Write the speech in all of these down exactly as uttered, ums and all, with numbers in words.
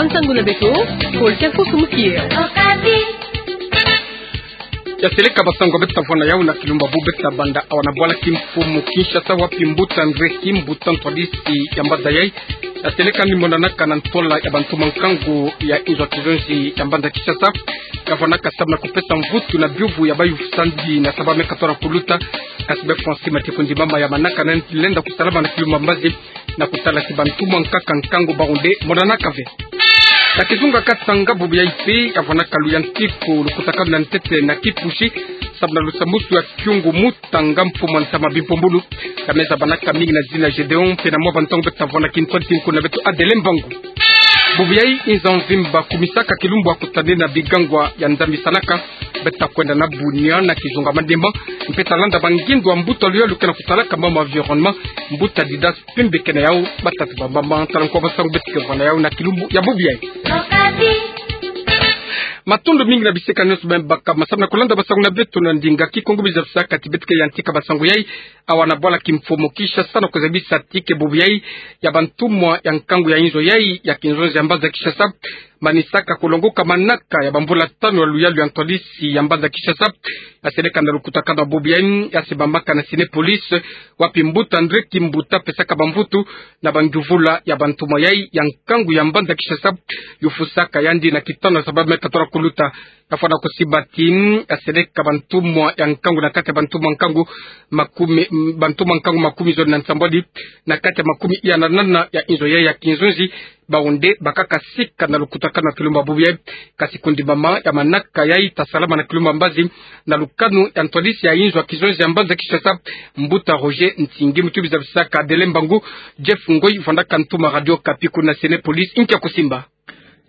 Nsangu na beto, Paul Kiakusu Mukier. Ya seleka basangu beto ta vwanda yau na kilumbu bubu, beto ta banda awa na bwala kimfumu Kinshasa, wapi mbuta Ndreki Mbuta, ntwadisi ya mbanza yai, ya seleka ni monanaka na ntola ya bantumwa nkangu ya inzo ya kizonzi ya mbanza Kinshasa, ya vwanaka sababu na kupesa mvutu na biyuvu ya bayufusandi na sababu me katwala kuluta. Kasi be Francis Matiku Ndimama ya manaka na lenda kusalama na kilumbu mbazi na kutala ti bantumwa nkaka nkangu bawu nde monanaka ve. Na kizunga Katanga, bubu yai mpe ya vwanaka luyantiku, lukutakanu na ntete na kipusi, sababu na lusambwasu ya kiungu mutanga mfumu wa ntama bimpumbulu. Ka me zabanaka mingi na zina Gedeon, mpe na mwa bantangu beto ta vwanda kintwadi ti nkuna beto Adele Mbangu. Bubu yai inza mvimba kumisaka kilumbu ya kutani na bigangwa ya nzambisanaka, beto ta kwenda na Bunia na kizunga Maniema, mpe ta landa bangindu ya mbuta luyalu ke na kusalaka mambu environnement, mbuta Didas Pembe ke na yau. Batata bamama, tala nkwa basangu beto ke vwanda yau na kilumbu ya bubu yai. Matondo mingi na bisekani nyonso beno baka ma sababu na kulanda basangu na beto na ndinga Kikongo. Bizabisaka ti beto ke yantika basangu yai awa na bwala kimfumu Kinshasa, na kuzabisa ti ke bubu yai ya bantumwa ya nkangu ya inzo yai ya kinzonzi ya mbanza Kinshasa manisaka kulongoka manaka ya bamvula tanu ya luyalu ya ntwadisi ya mbanza Kinshasa, ya seleka na lukutakanu ya bubu yai, ya simbamaka na Cinépolis, wapi mbuta Ndreki Mbuta apesaka bamvutu na bangyuvula ya bantumwa yai ya nkangu ya mbanza Kinshasa, yufusaka yandi na kitanu sababu me katwala kuluta. Ya vwanda kusimba ti ya seleka bantumwa ya nkangu na kati ya bantumwa nkangu makumi, bantumwa nkangu makumi zole na nsambwadi na kati ya makumi iya na nana ya inzo yai ya kinzonzi, bawu nde bakaka sika na lukutakanu na kilumbu bubu yai. Kasi kundimama ya manaka yai ta salama na kilumbu mbazi na lukanu ya ntwadisi ya inzo ya kinzonzi ya mbanza Kinshasa, mbuta Roger Ntingi. Mutu bizabisaka Adele Mbangu, Jeff Ngoi, vwandaka ntuma Radio Okapi kuna Cinépolis, nkia kusimba.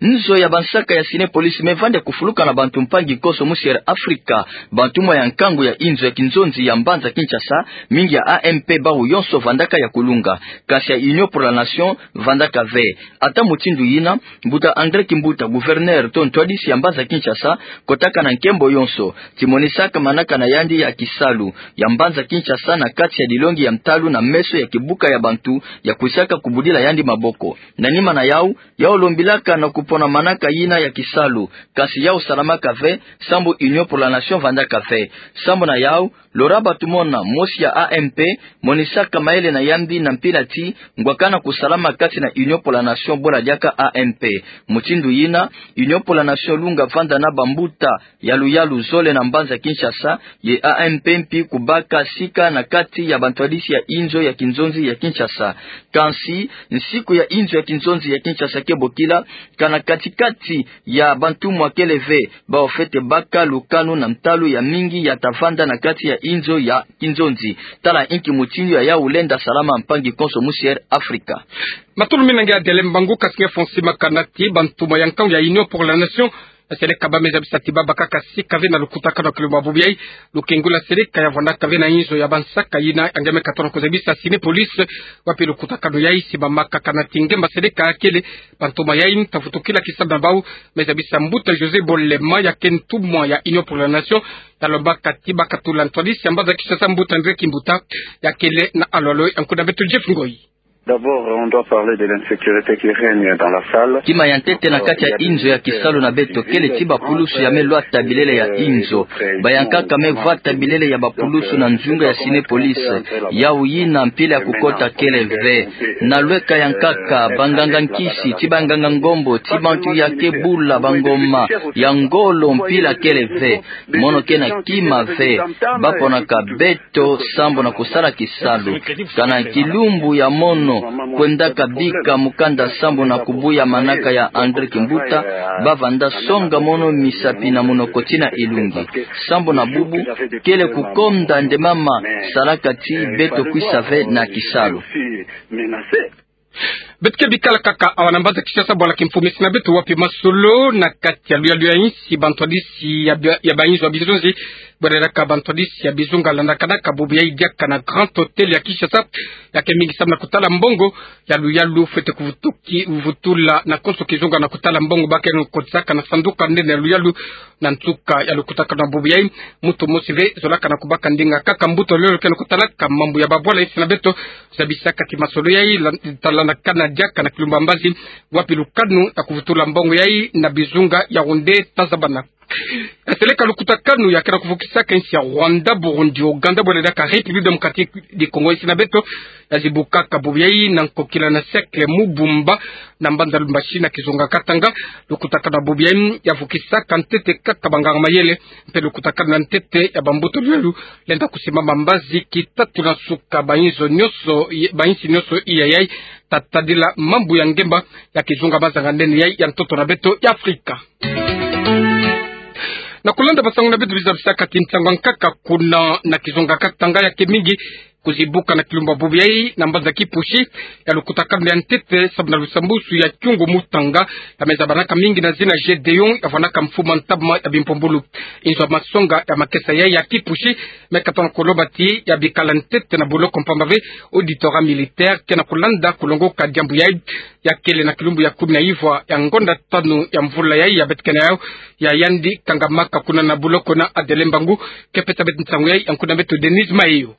Nzo ya bansaka ya Cinépolis me vanda ya kufuluka na bantu mpangi konso musi ya Afrika. Bantumwa ya nkangu ya inzo ya kinzonzi ya mbanza Kinshasa, mingi ya A M P, bawu yonso vandaka ya kulunga. Kasi ya Union pour la Nation vandaka ve. Ata mutindu yina, mbuta André Kimbuta, gouverneur to ntwadisi ya mbanza Kinshasa, kotaka na nkembo yonso ti monisaka manaka na yandi ya kisalu ya mbanza Kinshasa na kati ya dilongi ya ntalu na meso ya kibuka ya bantu ya kwisaka kubudila yandi maboko. Na nima na yau, yau lombilaka na kupona manaka yina ya kisalu, kasi yau salamaka ve, sambu Union pour la Nation vandaka ve. Sambu na yau, lora batumona mosi ya A M P monisaka mayele na yandi na mpila ti ngwakana kusalama kati na Union pour la Nation bula diaka A M P. Mutindu yina, Union pour la Nation lunga vanda na bambuta ya luyalu zole na mbanza Kinshasa, ye A M P mpi kubaka sika na kati ya bantwadisi ya inzo ya kinzonzi ya Kinshasa. Kansi, nsiku ya inzo ya kinzonzi ya Kinshasa ke bokila, kana kati-kati ya bantumwa kele ve, bawu fwete baka lukanu na ntalu ya mingi ya ta vanda na kati ya inzo ya kinzonzi. Tala inki mutindu ya yau lenda salama, mpangi konso musi ya Afrika. Matondo mingi na nge Adele Mbangu. Kasi nge Fonsi Makanati, bantumwa ya nkangu ya Union pour la Nation, seleka ba me zabisa ti babakaka sika ve na lukutakanu ya kilumbu bubu yai, lukengula seleka ya vwandaka ve na inzo ya bansaka yina ya nge me katona kuzabisa Cinépolis, wapi lukutakanu yai simbamaka. Kana ti nge mba seleka kele, bantumwa yai ntavutukila ki sababu na bawu, me zabisa mbuta José Bolema, ya ke ntumwa ya Union pour la Nation, ya lombaka ti bakatula ntwadisi ya mbanza Kinshasa, mbuta André Kimbuta, ya kele na alo-alo ya nkuna beto Jeff Ngoi. D'abord, on doit parler de l'insécurité qui règne dans la salle. Kima ya ntete na kati ya inzo ya kisalu na beto kele ti bapulusu ya me lwata bilele ya inzo. Bayankaka me vwata bilele ya bapulusu na nzunga ya Cinépolis. Yau yina mpila ya kukota kele ve. Na lweka ya nkaka, banganga nkisi, ti banganga ngombo, ti bantu ya ke bula bangoma, ya ngolo mpila kele ve. Mono ke na kima ve. Baponaka beto to sambu na kusala kisalu. Kana kilumbu ya mono, kwendaka bika mukanda sambu na kubuya manaka ya André Kimbuta, bavanda songa mono misapi na munoko tina ilungi. Sambu na bubu, kele kukonda nde mama, salaka ti beto kwisa ve na kisalu. Beto ke bikala kaka awa na mbanza Kinshasa, bwala kimfumu si na beto wapi masolo na kati ya luyalu ya insi, bantwadisi ya ba-, ya bainzo ya bizonzi Bwelelaka bantwadisi ya bizunga landakanaka bubu yai diaka na Grand Hôtel ya Kinshasa, ya ke mingi samu na kutala mbongo ya luyalu fwete kuvutuki, vutula na konso kizunga na kutala mbongo ba ke na kotisaka na sanduka nene ya luyalu. Na nsuka ya lukutakanu ya bubu yai, muntu mosi ve zolaka na kubaka ndinga kaka mbuta luyalu ke na kutalaka mambu ya babwala. Insi na beto zabisaka ti masolo yai la-, talandakana diaka na kilumbu ya mbazi, wapi lukanu ya kuvutula mbongo yai na bizunga Yaoundé, Tazabana. Ya seleka lukutakanu ya ke na kuvukisaka insi ya Rwanda, Burundi, Ouganda, bwelelaka République Démocratique du Congo. Insi na beto ya zibukaka bubu yai na nkokila na Cercle Mubumba na mbanza Lubumbashi na kizunga Katanga. Lukutakanu ya bubu yai ya vukisaka ntete kaka banganga mayele, mpe lukutakanu ya ntete ya bambuta luyalu lenda kusimama mbazi ki tatu na nsuka. Bayinzo nyonso, bayinsi nyonso iya yai, ta tadila mambu ya ngemba ya kizunga mazanga nene yai ya ntoto na beto ya Afrika. Na kulanda basangu na beto, bizabisaka ti ntangu ya nkaka kuna na kizunga Katanga ya ke mingi kuzibuka na kilumbu ya bubu yai na mbanza Kipushi, ya lukutakanu ya ntete samu na lusambusu ya Kyungu Mutanga, ya me zabanaka mingi na zina Gédéon, ya vwanaka mfumu ya ntama ya bimpumbulu. Inzo ya masonga ya makesa yai ya Kipushi me katono koloba ti ya bikala ntete na boloko mpamba ve auditorat militaire ke na kulanda kulongoka diambu yai. Ya kele na kilumbu ya kumi na ivwa ya ngonda tanu ya mvula yai ya betekene yau, ya yandi kangamaka kuna na boloko na Adele Mbangu. Ke pesa beto nsangu yai, ya nkuna beto Denise Mayo.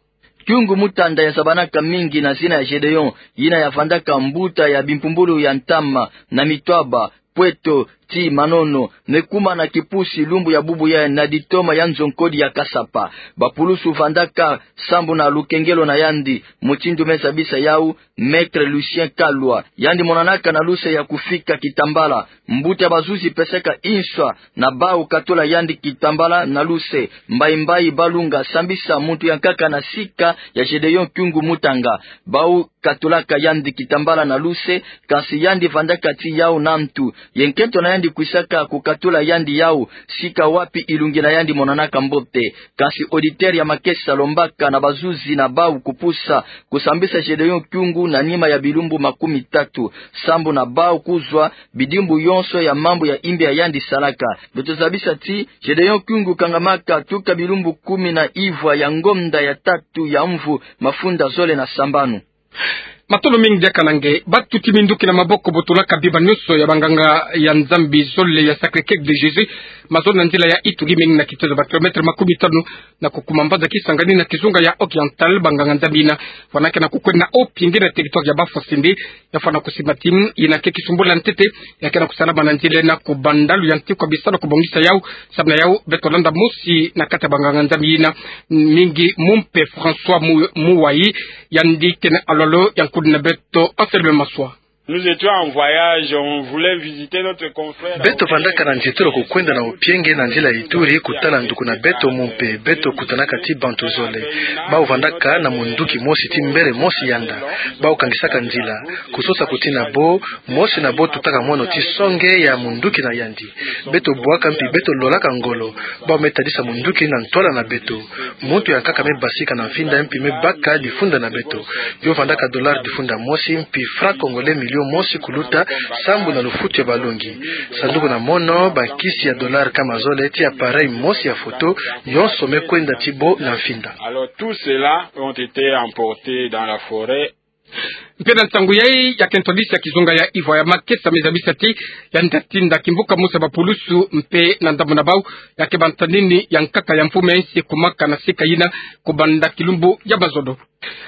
Kyungu Mutanga ya zabanaka mingi na zina ya Gédéon, yina ya vandaka mbuta ya bimpumbulu ya ntama na Mitwaba, Pweto, ti Manono, me kuma na Kipushi lumbu ya bubu yai na ditoma ya nzo nkodi ya Kasapa. Bapulusu vandaka sambu na lukengelo na yandi, mutindu me zabisa yau Maître Lucien Kalwa. Yandi monanaka na luse ya kufika Kitambala. Mbuta ya bazuzi pesaka inswa na bau katula yandi Kitambala na luse, mbayi mbayi balunga sambisa muntu ya nkaka na sika ya Gédéon Kyungu Mutanga. Bau katulaka yandi Kitambala na luse, kansi yandi vandaka ti yau na ntu. Ye nkento na yandi kwisaka kukatula yandi yau, sika wapi ilungi na yandi monanaka mbote. Kansi auditeur ya makesa lombaka na bazuzi na bau kupusa kusambisa Gédéon Kyungu na nima ya bilumbu makumi tatu, sambu na bau kuzwa bidimbu yonso ya mambu ya imbi ya yandi salaka. Beto zabisa ti Gédéon Kyungu kangamaka tuka bilumbu kumi na ivwa ya ngonda ya tatu ya mvu mafunda zole na sambanu. Matondo mingi diaka na nge. Batuti minduki na maboko botolaka bima nyonso ya banganga ya Nzambi zole ya Sacré-Cœur de Jésus, mazono na nzila ya Ituri, mingi na kitezo ba kilomètre makumi tanu na kukuma mbanza Kisangani na kizunga ya Oriental. Banganga Nzambi yina vwanakene kukwenda o pienge na territoire ya Bafwasende, ya fwana kusimba ti yina ke kisumbula ntete ya ke na kusalama na nzila ena kubanda luyantikwa bisalu kubongisa yau. Samu na yau, beto landa mosi na kati ya banganga Nzambi yina, mingi mumpe François Mu-, Muwayi, yandi ke na alolo ya nkudi na beto Anselme Maswa. Nous étions en voyage, on voulait visiter notre confrère. Beto vandaka na nzietolo kukwenda na Opienge na nzila ya Ituri kutala nduku na beto mumpe. Beto kutanaka ti bantu zole. Bau vandaka na munduki mosi ti mbele mosi yanda. Bau kangisaka nzila. Kusosa kuti na bo, mosi na bo tutaka mono ti songe ya munduki na yandi. Beto bwaka mpi beto lolaka ngolo. Bau me tadisa munduki na ntwala na beto. Muntu ya nkaka me basika na mfinda mpi me baka difunda na beto. Yo vandaka dollar difunda mosi mpi franc congolais million mosi kuluta, sambu na lufutu ya balongi. Sanduku na mono, bankisi ya dollar nkama zole, ti appareil mosi ya photo, yonso me kwenda ti bo na mfinda. Alors, tous ceux-là ont été emportés dans la forêt. Mpe na ntangu yai, ya kento lisi ya kizunga ya Ivoire ya Makesa me zabisa ti yandi tinda kimbuka mosi ya bapulusu mpe na ndambu na bau, ya ke bantanini ya nkaka ya mfumu ya nsi kumaka na sika yina kubanda kilumbu ya mazono.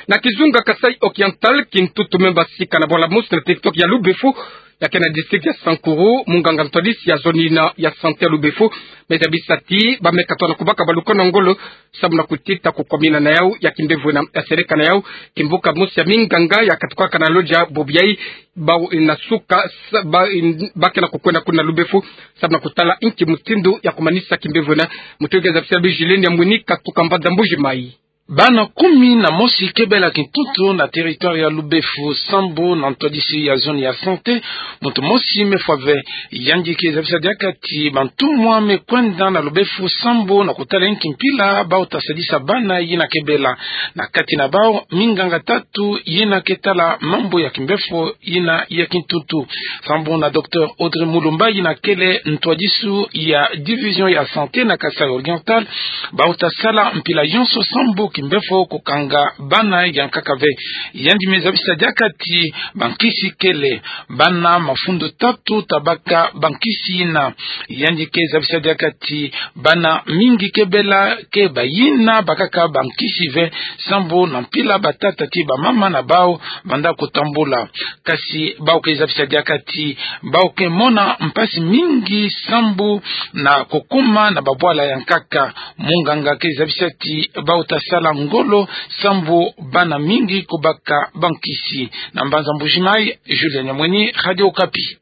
Na kizunga Kasaï Oriental, kintutu me basika na bwala mosi na territoire ya Lubefu, ya ke na district ya Sankuru, munganga ntwadisi ya zone yina ya santé ya Lubefu me zabisa ti ba me katono kubaka balukano ngolo, samu na kutita kukwamina na yau ya kimbevo ena. Ya seleka na yau kimbuka mosi ya minganga ya katukaka na loja bobo yai, bau na suka sa-, ba-, in-, ba ke na kukwenda kuna Lubefu, samu na kutala nki mutindu ya kumanisa kimbevo ena. Mutindu ke zabisa Vigilene ya Mwini katuka mbanza Mbuji-Mayi. Bana kumi na mosi ke bela kintuntu na territoire ya Lubefu, sambu na ntwadisi ya zone ya santé, muntu mosi me fwa ve. Yandi ke zabisa diaka ti bantumwa me kwenda na Lubefu sambu na kutala inki mpila bau ta sadisa bana yina ke bela. Na kati na bau, minganga tatu yina ke tala mambu ya kimbefo yina ya kintuntu. Sambu na docteur Audrey Mulumba yina kele ntwadisi ya division ya santé na Kasaï Oriental, bau ta sala mpila yonso sambu kimbefo kukanga bana ya nkaka ve. Yandi me zabisa diaka ti bankisi kele, bana mafundu tatu ta baka bankisi yina. Yandi ke zabisa diaka ti bana mingi ke bela ke bayina bakaka bankisi ve, sambu na mpila batata ti bamama na bau banda kutambula. Kasi bau ke zabisa diaka ti bau ke mona mpasi mingi sambu na kukuma na babwala ya nkaka. Munganga ke zabisa ti bau ta sala ngolo sambu bana mingi kubaka bankisi. Na mbanza Mbuji-Mayi, Julien Nyamweni, Radio Okapi.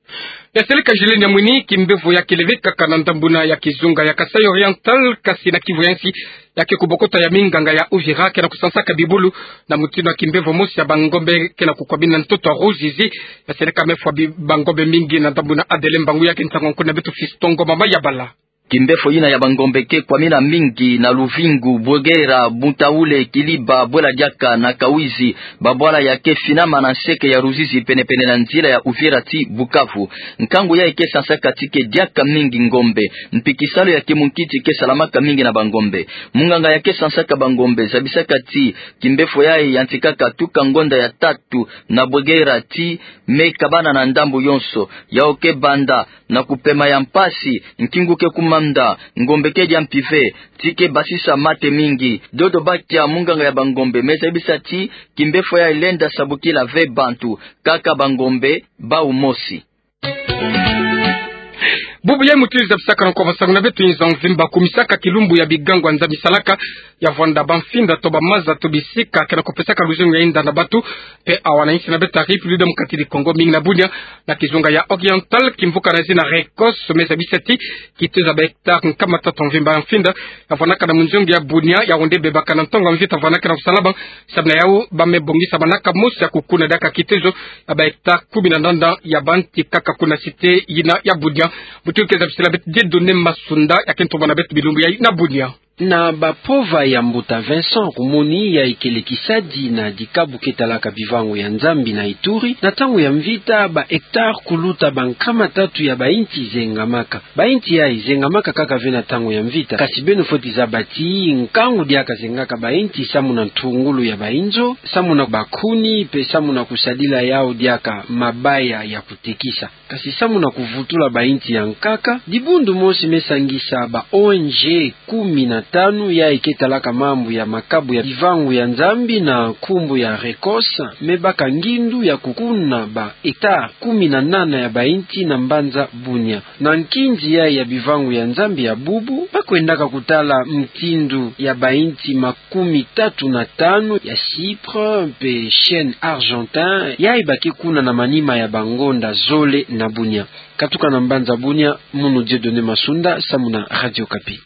Ya seleka Julien Nyamweni, kimbevo ya kele ve kaka na ndambu na ya kizunga ya Kasaï Oriental, kasi na Kivu ya nsi, ya ke kubokota ya minganga ya Uvira ke na kusansaka bibulu na mutindu ya kimbevo mosi ya bangombe ke na kukwamina ntoto ya Ruzizi. Ya seleka me fwa bi-, bangombe mingi na ndambu na Adele Mbangu, ya ke nsangu ya nkuna beto Fiston Ngoma Mayabala. Kimbefo yina ya bangombe ke kwamina mingi na Luvingu, Bwegera, Buntaule, Kiliba, Bwela Diaka na Kawizi, babwala ya ke finama na nseke ya Ruzizi penepene na nzila ya Uvira ti Bukavu. Nkangu yayi ke sansaka ti ke diaka mingi ngombe. Mpi kisalu ya kimunkiti ke salamaka mingi na bangombe. Munganga ya ke sansaka bangombe zabisaka ti kimbefo yayi yantikaka tuka ngonda ya tatu na Bwegera ti me kabana na ndambu yonso. Yawu ke banda na kupema ya mpasi, nkingu ke kumanda, ngombe ke dia mpi ve, ti ke basisa mate mingi. Dodo Bakia, munganga ya bangombe, me zabisa ti kimbefo yayi lenda sabukila ve bantu, kaka bangombe bau mosi. Bubu yayi mutindu zabisaka na nkwa masangu na beto inza mvimba, kumisaka kilumbu ya bigangu ya Nzambi salaka, ya vwanda bamfinda to bamaza to bisika ke na kupesaka luzingu ya inda na bantu, mpe awa na insi na beto ya République Démocratique du Congo, mingi na Bunia, na kizunga ya Oriental, kimvuka na zina Récosse, me zabisa ti kitezo ya ba hectare nkama tatu mvimba ya mfinda ya vwanaka na munzongi ya Bunia, yawu nde bebaka na ntangu ya mvita vwanaka na kusalama. Samu na yawu, ba me bongisa manaka mosi ya kukuna diaka kitezo ya ba hectare kumi na nanda ya banti kaka kuna cité yina ya Bunia. Mutindu ke zabisila beto Dieudonné Masunda, ya ke ntomba na beto bilumbu yayi na Bunia. Na bapova ya mbuta Vincent Kumoni, yayi kele kisadi na dikabu ke talaka bivangu ya Nzambi na Ituri, na ntangu ya mvita ba hectare kuluta bankama tatu ya bainti zengamaka. Bainti yayi zengamaka kaka ve na ntangu ya mvita, kasi beno fweti zaba ti nkangu diaka zengaka bainti samu na ntungulu ya bainzo, samu na bakuni, mpe samu na kusadila yawu diaka mabaya ya kutekisa. Kasi samu na kuvutula bainti ya nkaka, dibundu mosi me sangisa ba O N G kumi na tanu yayi ke talaka mambu ya makabu ya bivangu ya Nzambi na nkumbu ya Récosse, me baka ngindu ya kukuna ba hectare kumi na nana ya bainti na mbanza Bunia. Na nkinzi yayi ya bivangu ya Nzambi ya bubu, ba kwendaka kutala mutindu ya bainti ma kumi tatu na tanu ya Chypre mpe chêne argentin, yayi ba ke kuna na manima ya bangonda zole na Bunia. Katuka na mbanza Bunia, munu Dieudonné Masunda, samu na Radio Okapi.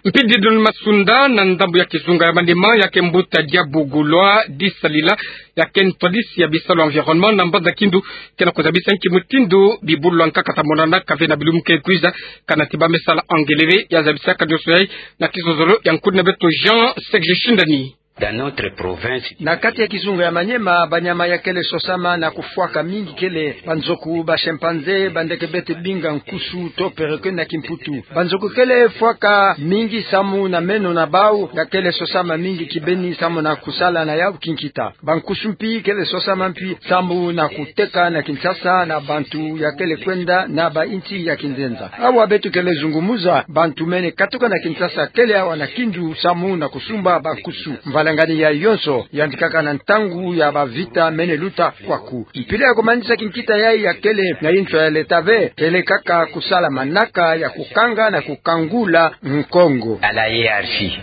Mpi Dieudonné Masunda, na ndambu ya kizunga ya Maniema, ya ke mbuta Diabugulwa Disalila, ya ke ntwadisi ya bisalu environnement, na mbanza Kindu, ke na kuzabisa nki mutindu bibulu ya nkaka ta monanaka ve na bilumbu ke kwiza, kana ti ba me sala ngelele, ya zabisaka nyonso yayi na kizozolo ya nkuni na beto Jean Serge Shindani. Dans notre province. Na kati ya kizunga ya Maniema, banyama ya kele sosama na kufwaka mingi kele banzoku, ba chimpanzé, bandeke bete binga nkusu to perroquet na kimputu. Banzoku kele fwaka mingi samu na meno na bau ya kele sosama mingi kibeni samu na kusala na yau kinkita. Bankusu mpi kele sosama mpi samu na kuteka na Kinshasa na bantu ya kele kwenda na bainti ya kinzenza. Awa beto kele zungumuza, bantu mene katuka na Kinshasa kele awa na Kindu samu na kusumba bankusu. Mvalangani ya yonso yantikaka na ntangu ya bavita mene luta kwaku. Mpila ya kumanisa kinkita yayi ya kele na inswa ya leta ve, kele kaka kusala manaka ya kukanga na kukangula nkongo. À la hiérarchie.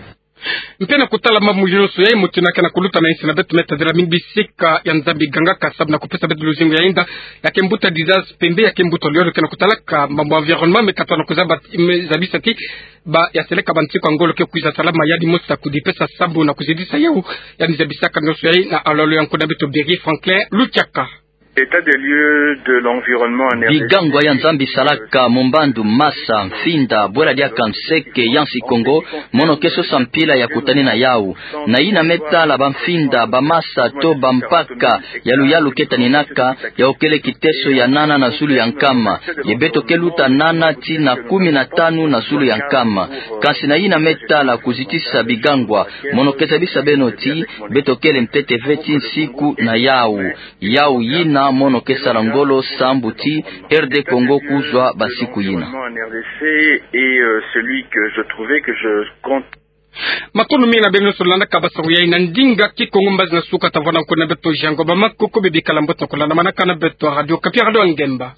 Mpe na kutala mambu yonso yayi, mutindu ke na kuluta na insi na beto, me tadila mingi bisika ya Nzambi gangaka samu na kupesa beto luzingu ya inda, ya ke mbuta Didasi Pembe, ya ke mbuta Liono ke na kutalaka mambu environnement, me katwa na kuzaba, me zabisa ti Ba ya seleka ba nsiku ya ngolo ke kwiza salama, yandi mosi ta kudipesa sambu na kuzidisa yau. Yandi zabisaka nionso yayi na alolo ya nkuna beto Berry Franklin Luchaka. L'état des lieux de l'environnement en R D C. Bigangwa ya Nzambi salaka mu mbandu masa, mfinda, bwela diaka nseke, ya nsi Kongo, mono ke sosa mpila ya kutani na yau. Na yina me tala ba mfinda, ba masa, to ba mpaka, ya luyalu ke taninaka, yau kele kiteso ya nana na zulu ya nkama. Ye beto ke luta nana tii na kumi na tanu na zulu ya nkama. Kansi na yina me tala kuzitisa bigangwa, mono ke zabisa beno tii, beto kele ntete ve tii nsiku na yau. Yau yina mono ke sala ngolo sambu tii R D Congo kuzwa ba nsiku yina. En R D C est, euh, celui que je trouvais que je compte. Matondo mingi na beno nyonso landaka ba salu yayi na ndinga Kikongo. Mbazi na suka tavwanda nkuna beto jango ba makoko bebikala mbote na kulandamanaka na beto Radio Okapi, Radio Ngemba.